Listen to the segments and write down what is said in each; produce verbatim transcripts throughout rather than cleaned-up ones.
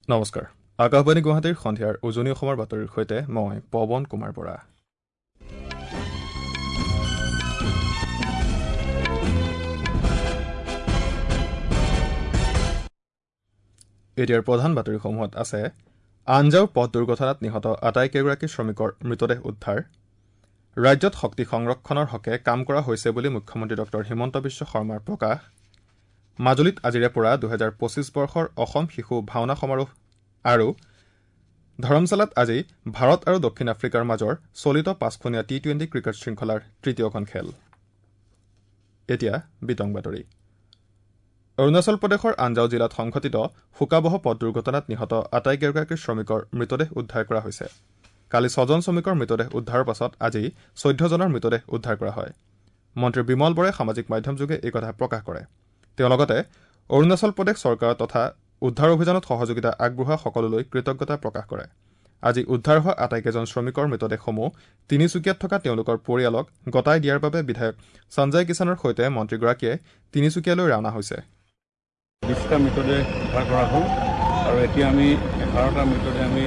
নমস্কাৰ, আকাশবাণী গুৱাহাটীৰ সন্ধিয়াৰ উজনি অসমৰ বাতৰিৰ সৈতে মই পৱন কুমাৰ বৰা। এতিয়াৰ প্ৰধান বাতৰিসমূহত আছে আঞ্জাও পথ দুৰ্ঘটনাত নিহত আটাইকেইগৰাকী শ্ৰমিকৰ মৃতদেহ উদ্ধাৰ, ৰাজ্যত শক্তি সংৰক্ষণৰ হকে কাম কৰা হৈছে বুলি মুখ্যমন্ত্ৰী ডক্টৰ হিমন্ত বিশ্ব শৰ্মাৰ প্ৰকাশ, মাজুলীত আজিৰে পৰা দুহেজাৰ পঁচিছ বৰ্ষৰ অসম শিশু ভাওনা সমাৰোহ আৰু ধৰমশালাত আজি ভাৰত আৰু দক্ষিণ আফ্ৰিকাৰ মাজৰ চলিত পাঁচখনীয়া টি টুৱেণ্টি ক্ৰিকেট শৃংখলাৰ তৃতীয়খন খেল। এতিয়া বিতং বাতৰি। অৰুণাচল প্ৰদেশৰ আঞ্জাও জিলাত সংঘটিত শোকাবহ পথ দুৰ্ঘটনাত নিহত আটাইকেইগৰাকী শ্ৰমিকৰ মৃতদেহ উদ্ধাৰ কৰা হৈছে। কালি ছজন শ্ৰমিকৰ মৃতদেহ উদ্ধাৰৰ পাছত আজি চৈধ্যজনৰ মৃতদেহ উদ্ধাৰ কৰা হয়। মন্ত্ৰী বিমল বৰাই সামাজিক মাধ্যমযোগে এই কথা প্ৰকাশ কৰে। তেওঁ লগতে অৰুণাচল প্ৰদেশ চৰকাৰ তথা উদ্ধাৰ অভিযানত সহযোগিতা আগবঢ়োৱা সকলোলৈ কৃতজ্ঞতা প্ৰকাশ কৰে। আজি উদ্ধাৰ হোৱা আটাইকেইজন শ্ৰমিকৰ মৃতদেহসমূহ তিনিচুকীয়াত থকা তেওঁলোকৰ পৰিয়ালক গতাই দিয়াৰ বাবে বিধায়ক সঞ্জয় কিষাণৰ সৈতে মন্ত্ৰীগৰাকীয়ে তিনিচুকীয়ালৈ ৰাওনা হৈছে। বিছটা মৃতদেহ উদ্ধাৰ কৰা হ'ল আৰু এতিয়া আমি এঘাৰটা মৃতদেহ আমি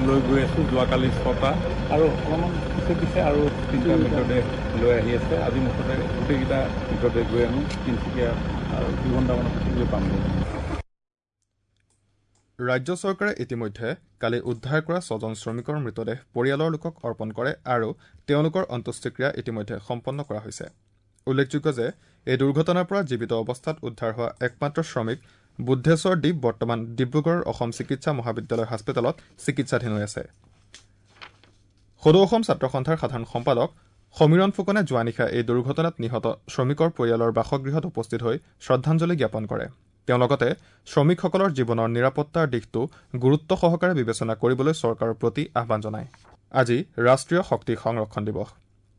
লৈ গৈ আছোঁ। যোৱাকালি ছটা আৰু অকণমান পিছে পিছে আৰু তিনিটা মৃতদেহ লৈ আহি আছে। আজি মুঠতে গোটেইকেইটা মৃতদেহ গৈ আমি তিনিচুকীয়া আৰু দুঘণ্টামানৰ পিছত গৈ পামগৈ। ৰাজ্য চৰকাৰে ইতিমধ্যে কালি উদ্ধাৰ কৰা ছজন শ্ৰমিকৰ মৃতদেহ পৰিয়ালৰ লোকক অৰ্পণ কৰে আৰু তেওঁলোকৰ অন্ত্যেষ্টিক্ৰিয়া ইতিমধ্যে সম্পন্ন কৰা হৈছে। উল্লেখযোগ্য যে এই দুৰ্ঘটনাৰ পৰা জীৱিত অৱস্থাত উদ্ধাৰ হোৱা একমাত্ৰ শ্ৰমিক বুদ্ধেশ্বৰ দ্বীপ বৰ্তমান ডিব্ৰুগড়ৰ অসম চিকিৎসা মহাবিদ্যালয় হাস্পতালত চিকিৎসাধীন হৈ আছে। সদৌ অসম ছাত্ৰ সন্থাৰ সাধাৰণ সম্পাদক সমীৰণ ফুকনে যোৱা নিশা এই দুৰ্ঘটনাত নিহত শ্ৰমিকৰ পৰিয়ালৰ বাসগৃহত উপস্থিত হৈ শ্ৰদ্ধাঞ্জলি জ্ঞাপন কৰে। তেওঁ লগতে শ্ৰমিকসকলৰ জীৱনৰ নিৰাপত্তাৰ দিশটো গুৰুত্ব সহকাৰে বিবেচনা কৰিবলৈ চৰকাৰৰ প্ৰতি আহ্বান জনায়। আজি ৰাষ্ট্ৰীয় শক্তি সংৰক্ষণ দিৱস।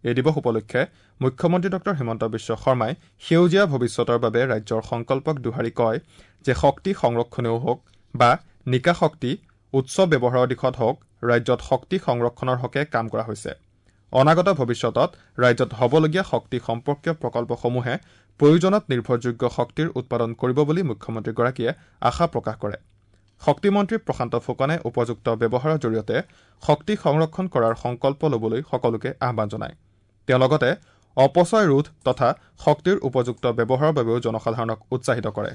এই দিৱস উপলক্ষে মুখ্যমন্ত্ৰী ডক্টৰ হিমন্ত বিশ্ব শৰ্মাই সেউজীয়া ভৱিষ্যতৰ বাবে ৰাজ্যৰ সংকল্পক দোহাৰি কয় যে শক্তি সংৰক্ষণেও হওক বা নিকা শক্তি উৎস ব্যৱহাৰৰ দিশত হওক, ৰাজ্যত শক্তি সংৰক্ষণৰ হকে কাম কৰা হৈছে। অনাগত ভৱিষ্যতত ৰাজ্যত হ'বলগীয়া শক্তি সম্পৰ্কীয় প্ৰকল্পসমূহে প্ৰয়োজনত নিৰ্ভৰযোগ্য শক্তিৰ উৎপাদন কৰিব বুলি মুখ্যমন্ত্ৰীগৰাকীয়ে আশা প্ৰকাশ কৰে। শক্তিমন্ত্ৰী প্ৰশান্ত ফুকনে উপযুক্ত ব্যৱহাৰৰ জৰিয়তে শক্তি সংৰক্ষণ কৰাৰ সংকল্প ল'বলৈ সকলোকে আহ্বান জনায়। তেওঁ লগতে অপচয় ৰোধ তথা শক্তিৰ উপযুক্ত ব্যৱহাৰৰ বাবেও জনসাধাৰণক উৎসাহিত কৰে।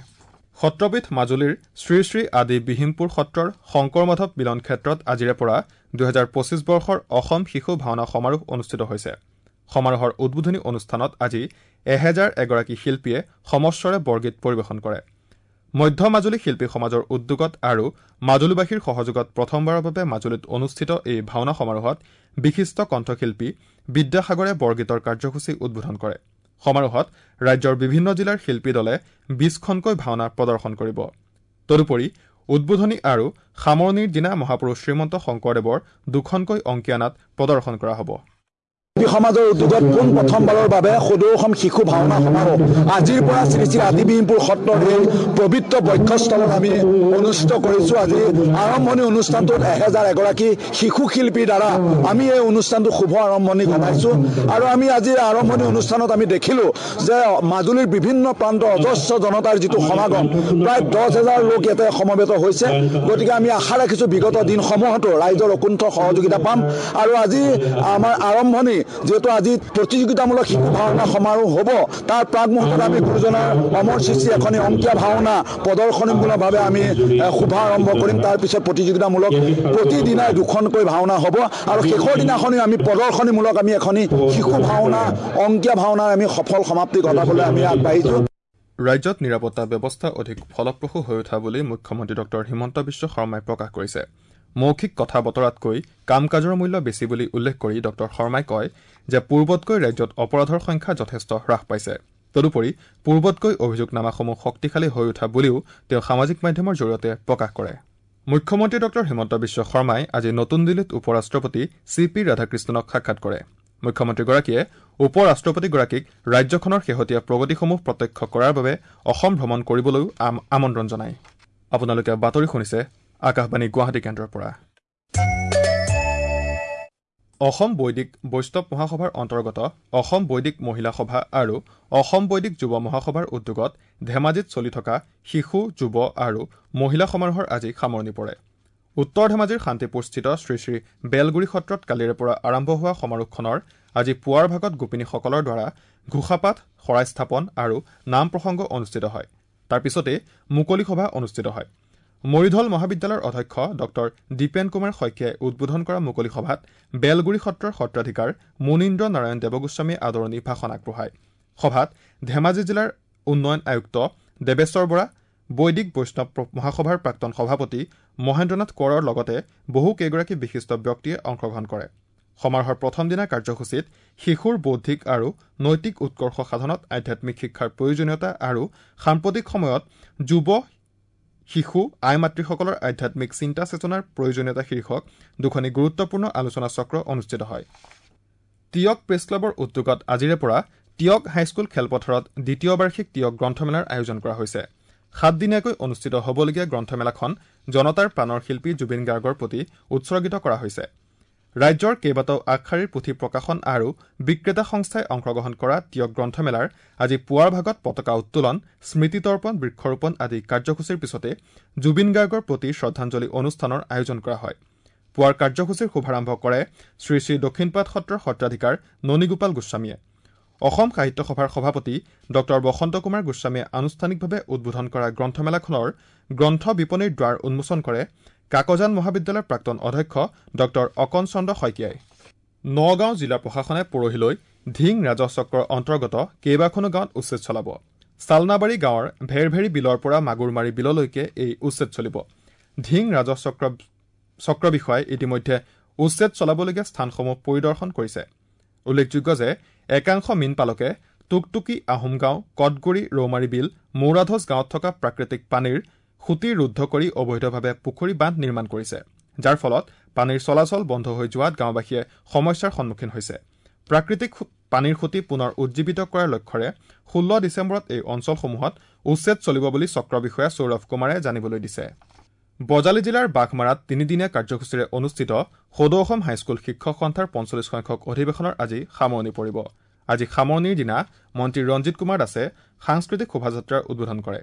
সত্ৰপীঠ মাজুলীৰ শ্ৰী শ্ৰী আদি বিহিমপুৰ সত্ৰৰ শংকৰ মাধৱ মিলন ক্ষেত্ৰত আজিৰে পৰা দুহেজাৰ পঁচিছ বৰ্ষৰ অসম শিশু ভাওনা সমাৰোহ অনুষ্ঠিত হৈছে। সমাৰোহৰ উদ্বোধনী অনুষ্ঠানত আজি এহেজাৰ এগৰাকী শিল্পীয়ে সমস্বৰে বৰগীত পৰিৱেশন কৰে। মধ্য মাজুলী শিল্পী সমাজৰ উদ্যোগত আৰু মাজুলীবাসীৰ সহযোগত প্ৰথমবাৰৰ বাবে মাজুলীত অনুষ্ঠিত এই ভাওনা সমাৰোহত বিশিষ্ট কণ্ঠশিল্পী বিদ্যাসাগৰে বৰগীতৰ কাৰ্যসূচী উদ্বোধন কৰে। সমাৰোহত ৰাজ্যৰ বিভিন্ন জিলাৰ শিল্পী দলে বিছখনকৈ ভাওনা প্ৰদৰ্শন কৰিব। তদুপৰি উদ্বোধনী আৰু সামৰণিৰ দিনা মহাপুৰুষ শ্ৰীমন্ত শংকৰদেৱৰ দুখনকৈ অংকীয়া নাট প্ৰদৰ্শন কৰা হ'ব। শিল্পী সমাজৰ উদ্যোগত পোন প্ৰথমবাৰৰ বাবে সদৌ অসম শিশু ভাওনা সমাৰোহ আজিৰ পৰা শ্ৰী শ্ৰী আদি বিহিমপুৰ সত্ৰৰ এই পবিত্ৰ বক্ষস্থলত আমি অনুষ্ঠিত কৰিছোঁ। আজি আৰম্ভণি অনুষ্ঠানটোত এহেজাৰ এগৰাকী শিশু শিল্পীৰ দ্বাৰা আমি এই অনুষ্ঠানটো শুভ আৰম্ভণি ঘটাইছোঁ। আৰু আমি আজি আৰম্ভণি অনুষ্ঠানত আমি দেখিলোঁ যে মাজুলীৰ বিভিন্ন প্ৰান্তৰ অজস্ৰ জনতাৰ যিটো সমাগম, প্ৰায় দহ হেজাৰ লোক ইয়াতে সমবেত হৈছে। গতিকে আমি আশা ৰাখিছোঁ বিগত দিনসমূহতো ৰাইজৰ অকুণ্ঠ সহযোগিতা পাম। আৰু আজি আমাৰ আৰম্ভণি যিহেতু আজি প্ৰতিযোগিতামূলক শিশু ভাওনা সমাৰোহ হ'ব, তাৰ প্ৰাক মুহূৰ্তত আমি গুৰুজনাৰ অমৰ সৃষ্টি এখনি অংকীয়া ভাওনা প্ৰদৰ্শনীমূলকভাৱে আমি শুভাৰম্ভ কৰিম। তাৰপিছত প্ৰতিযোগিতামূলক প্ৰতিদিনাই দুখনকৈ ভাওনা হ'ব আৰু শেষৰ দিনাখনি আমি প্ৰদৰ্শনীমূলক আমি এখনি শিশু ভাওনা অংকীয়া ভাওনাৰ আমি সফল সমাপ্তি ঘটাবলৈ আমি আগবাঢ়িছোঁ। ৰাজ্যত নিৰাপত্তা ব্যৱস্থা অধিক ফলপ্ৰসূ হৈ উঠা বুলি মুখ্যমন্ত্ৰী ডক্টৰ হিমন্ত বিশ্ব শৰ্মাই প্ৰকাশ কৰিছে। মৌখিক কথা বতৰাতকৈ কাম কাজৰ মূল্য বেছি বুলি উল্লেখ কৰি ডক্টৰ শৰ্মাই কয় যে পূৰ্বতকৈ ৰাজ্যত অপৰাধৰ সংখ্যা যথেষ্ট হ্ৰাস পাইছে। তদুপৰি পূৰ্বতকৈ অভিযোগনামাসমূহ শক্তিশালী হৈ উঠা বুলিও তেওঁ সামাজিক মাধ্যমৰ জৰিয়তে প্ৰকাশ কৰে। মুখ্যমন্ত্ৰী ডক্টৰ হিমন্ত বিশ্ব শৰ্মাই আজি নতুন দিল্লীত উপ ৰাষ্ট্ৰপতি চি পি ৰাধাকৃষ্ণনক সাক্ষাৎ কৰে। মুখ্যমন্ত্ৰীগৰাকীয়ে উপ ৰাষ্ট্ৰপতিগৰাকীক ৰাজ্যখনৰ শেহতীয়া প্ৰগতিসমূহ প্ৰত্যক্ষ কৰাৰ বাবে অসম ভ্ৰমণ কৰিবলৈও আমন্ত্ৰণ জনায়। আপোনালোকে বাতৰি শুনিছে আকাশবাণী গুৱাহাটী কেন্দ্ৰৰ পৰা। অসম বৈদিক বৈষ্ণৱ মহাসভাৰ অন্তৰ্গত অসম বৈদিক মহিলা সভা আৰু অসম বৈদিক যুৱ মহাসভাৰ উদ্যোগত ধেমাজিত চলি থকা শিশু, যুৱ আৰু মহিলা সমাৰোহৰ আজি সামৰণি পৰে। উত্তৰ ধেমাজিৰ শান্তিপুৰস্থিত শ্ৰী শ্ৰী বেলগুৰি সত্ৰত কালিৰে পৰা আৰম্ভ হোৱা সমাৰোহখনৰ আজি পুৱাৰ ভাগত গোপিনীসকলৰ দ্বাৰা ঘোষাপাঠ, শৰাই স্থাপন আৰু নাম প্ৰসংগ অনুষ্ঠিত হয়। তাৰ পিছতেই মুকলি সভা অনুষ্ঠিত হয়। মৰিধল মহাবিদ্যালয়ৰ অধ্যক্ষ ডক্টৰ দীপেন কুমাৰ শইকীয়াই উদ্বোধন কৰা মুকলি সভাত বেলগুৰি সত্ৰৰ সত্ৰাধিকাৰ মুনীন্দ্ৰ নাৰায়ণ দেৱগোস্বামীয়ে আদৰণি ভাষণ আগবঢ়ায়। সভাত ধেমাজি জিলাৰ উন্নয়ন আয়ুক্ত দেৱেশ্বৰ বৰা, বৈদিক বৈষ্ণৱ মহাসভাৰ প্ৰাক্তন সভাপতি মহেন্দ্ৰনাথ কোঁৱৰৰ লগতে বহু কেইগৰাকী বিশিষ্ট ব্যক্তিয়ে অংশগ্ৰহণ কৰে। সমাৰোহৰ প্ৰথম দিনাৰ কাৰ্যসূচীত শিশুৰ বৌদ্ধিক আৰু নৈতিক উৎকৰ্ষ সাধনত আধ্যাত্মিক শিক্ষাৰ প্ৰয়োজনীয়তা আৰু সাম্প্ৰতিক সময়ত যুৱ শিশু আই মাতৃসকলৰ আধ্যাত্মিক চিন্তা চেতনাৰ প্ৰয়োজনীয়তা শীৰ্ষক দুখনি গুৰুত্বপূৰ্ণ আলোচনা চক্ৰ অনুষ্ঠিত হয়। টীয়ক প্ৰেছ ক্লাবৰ উদ্যোগত আজিৰে পৰা টীয়ক হাইস্কুল খেলপথাৰত দ্বিতীয় বাৰ্ষিক টীয়ক গ্ৰন্থমেলাৰ আয়োজন কৰা হৈছে। সাতদিনীয়াকৈ অনুষ্ঠিত হ'বলগীয়া গ্ৰন্থমেলাখন জনতাৰ প্ৰাণৰ শিল্পী জুবিন গাৰ্গৰ প্ৰতি উৎসৰ্গিত কৰা হৈছে। ৰাজ্যৰ কেইবাটাও আগশাৰীৰ পুথি প্ৰকাশন আৰু বিক্ৰেতা সংস্থাই অংশগ্ৰহণ কৰা টীয়ক গ্ৰন্থমেলাৰ আজি পুৱাৰ ভাগত পতাকা উত্তোলন, স্মৃতি তৰ্পণ, বৃক্ষৰোপণ আদি কাৰ্যসূচীৰ পিছতে জুবিন গাৰ্গৰ প্ৰতি শ্ৰদ্ধাঞ্জলি অনুষ্ঠানৰ আয়োজন কৰা হয়। পুৱাৰ কাৰ্যসূচীৰ শুভাৰম্ভ কৰে শ্ৰী শ্ৰী দক্ষিণপাট সত্ৰৰ সত্ৰাধিকাৰ ননীগোপাল গোস্বামীয়ে। অসম সাহিত্য সভাৰ সভাপতি ডক্টৰ বসন্ত কুমাৰ গোস্বামীয়ে আনুষ্ঠানিকভাৱে উদ্বোধন কৰা গ্ৰন্থমেলাখনৰ গ্ৰন্থ বিপণীৰ দ্বাৰ উন্মোচন কৰে কাকজান মহাবিদ্যালয়ৰ প্ৰাক্তন অধ্যক্ষ ডক্টৰ অকণ চন্দ্ৰ শইকীয়াই। নগাঁও জিলা প্ৰশাসনে পৰহিলৈ ধিং ৰাজহ চক্ৰৰ অন্তৰ্গত কেইবাখনো গাঁৱত উচ্ছেদ চলাব। চালনাবাৰী গাঁৱৰ ভেৰভেৰী বিলৰ পৰা মাগুৰমাৰী বিললৈকে এই উচ্ছেদ চলিব। ধিং ৰাজহ চক্ৰ চক্ৰ বিষয়াই ইতিমধ্যে উচ্ছেদ চলাবলগীয়া স্থানসমূহ পৰিদৰ্শন কৰিছে। উল্লেখযোগ্য যে একাংশ মীনপালকে টুকটুকী, আহোমগাঁও, কটগুৰি, ৰৌমাৰী বিল, মৌৰাধ্বজ গাঁৱত থকা প্ৰাকৃতিক পানীৰ সুঁতি ৰুদ্ধ কৰি অবৈধভাৱে পুখুৰী বান্ধ নিৰ্মাণ কৰিছে, যাৰ ফলত পানীৰ চলাচল বন্ধ হৈ যোৱাত গাঁওবাসীয়ে সমস্যাৰ সন্মুখীন হৈছে। প্ৰাকৃতিক পানীৰ সুঁতি পুনৰ উজ্জীৱিত কৰাৰ লক্ষ্যৰে ষোল্ল ডিচেম্বৰত এই অঞ্চলসমূহত উচ্ছেদ চলিব বুলি চক্ৰ বিষয়া সৌৰভ কুমাৰে জানিবলৈ দিছে। বজালী জিলাৰ বাঘমাৰাত তিনিদিনীয়া কাৰ্যসূচীৰে অনুষ্ঠিত সদৌ অসম হাইস্কুল শিক্ষক সন্থাৰ পঞ্চল্লিছ সংখ্যক অধিৱেশনৰ আজি সামৰণি পৰিব। আজি সামৰণিৰ দিনা মন্ত্ৰী ৰঞ্জিত কুমাৰ দাসে সাংস্কৃতিক শোভাযাত্ৰাৰ উদ্বোধন কৰে।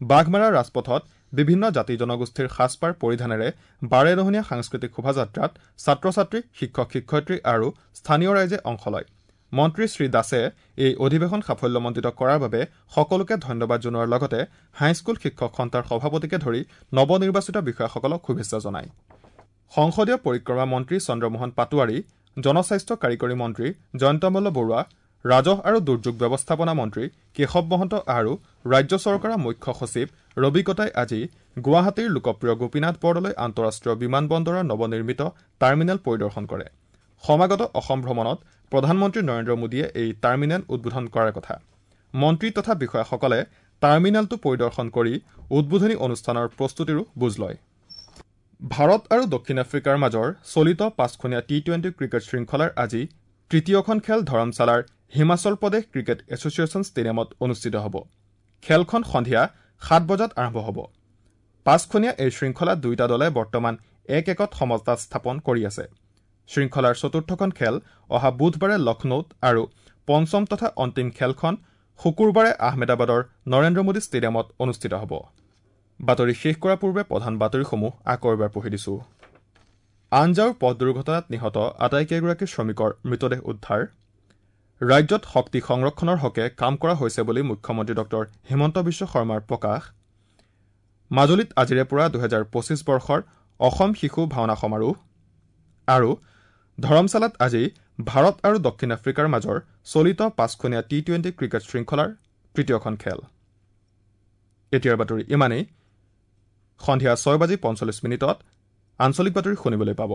বাঘমাৰাৰ ৰাজপথত বিভিন্ন জাতি জনগোষ্ঠীৰ সাজপাৰ পৰিধানেৰে বাৰেৰহণীয়া সাংস্কৃতিক শোভাযাত্ৰাত ছাত্ৰ ছাত্ৰী, শিক্ষক শিক্ষয়িত্ৰী আৰু স্থানীয় ৰাইজে অংশ লয়। মন্ত্ৰী শ্ৰী দাসে এই অধিৱেশন সাফল্যমণ্ডিত কৰাৰ বাবে সকলোকে ধন্যবাদ জনোৱাৰ লগতে হাইস্কুল শিক্ষক সন্থাৰ সভাপতিকে ধৰি নৱনিৰ্বাচিত বিষয়াসকলক শুভেচ্ছা জনায়। সংসদীয় পৰিক্ৰমা মন্ত্ৰী চন্দ্ৰমোহন পাটোৱাৰী, জনস্বাস্থ্য কাৰিকৰী মন্ত্ৰী জয়ন্ত মল্ল বৰুৱা, ৰাজহ আৰু দুৰ্যোগ ব্যৱস্থাপনা মন্ত্ৰী কেশৱ মহন্ত আৰু ৰাজ্য চৰকাৰৰ মুখ্য সচিব ৰবি কটাই আজি গুৱাহাটীৰ লোকপ্ৰিয় গোপীনাথ বৰদলৈ আন্তঃৰাষ্ট্ৰীয় বিমানবন্দৰৰ নৱনিৰ্মিত টাৰ্মিনেল পৰিদৰ্শন কৰে। সমাগত অসম ভ্ৰমণত প্ৰধানমন্ত্ৰী নৰেন্দ্ৰ মোদীয়ে এই টাৰ্মিনেল উদ্বোধন কৰাৰ কথা। মন্ত্ৰী তথা বিষয়াসকলে টাৰ্মিনেলটো পৰিদৰ্শন কৰি উদ্বোধনী অনুষ্ঠানৰ প্ৰস্তুতিৰো বুজ লয়। ভাৰত আৰু দক্ষিণ আফ্ৰিকাৰ মাজৰ চলিত পাঁচখনীয়া টি টুৱেণ্টি ক্ৰিকেট শৃংখলাৰ আজি তৃতীয়খন খেল ধৰমশালাৰ হিমাচল প্ৰদেশ ক্ৰিকেট এছ'চিয়েশ্যন ষ্টেডিয়ামত অনুষ্ঠিত হ'ব। খেলখন সন্ধিয়া সাত বজাত আৰম্ভ হ'ব। পাঁচখনীয়া এই শৃংখলাত দুয়োটা দলে বৰ্তমান এক একত সমতা স্থাপন কৰি আছে। শৃংখলাৰ চতুৰ্থখন খেল অহা বুধবাৰে লক্ষ্ণৌত আৰু পঞ্চম তথা অন্তিম খেলখন শুকুৰবাৰে আহমেদাবাদৰ নৰেন্দ্ৰ মোদী ষ্টেডিয়ামত অনুষ্ঠিত হ'ব। বাতৰি শেষ কৰাৰ পূৰ্বে প্ৰধান বাতৰিসমূহ আকৌ এবাৰ পঢ়ি দিছো। আঞ্জাওৰ পথ দুৰ্ঘটনাত নিহত আটাইকেইগৰাকী শ্ৰমিকৰ মৃতদেহ উদ্ধাৰ। ৰাজ্যত শক্তি সংৰক্ষণৰ হকে কাম কৰা হৈছে বুলি মুখ্যমন্ত্ৰী ডক্টৰ হিমন্ত বিশ্ব শৰ্মাৰ প্ৰকাশ। মাজুলীত আজিৰে পৰা দুহেজাৰ পঁচিছ বৰ্ষৰ অসম শিশু ভাওনা সমাৰোহ আৰু ধৰমশালাত আজি ভাৰত আৰু দক্ষিণ আফ্ৰিকাৰ মাজৰ চলিত পাঁচখনীয়া টি টুৱেণ্টি ক্ৰিকেট শৃংখলাৰ তৃতীয়খন খেল। এতিয়াৰ বাতৰি ইমানেই। সন্ধিয়া ছয় বাজি পঞ্চল্লিছ মিনিটত আঞ্চলিক বাতৰি শুনিবলৈ পাব।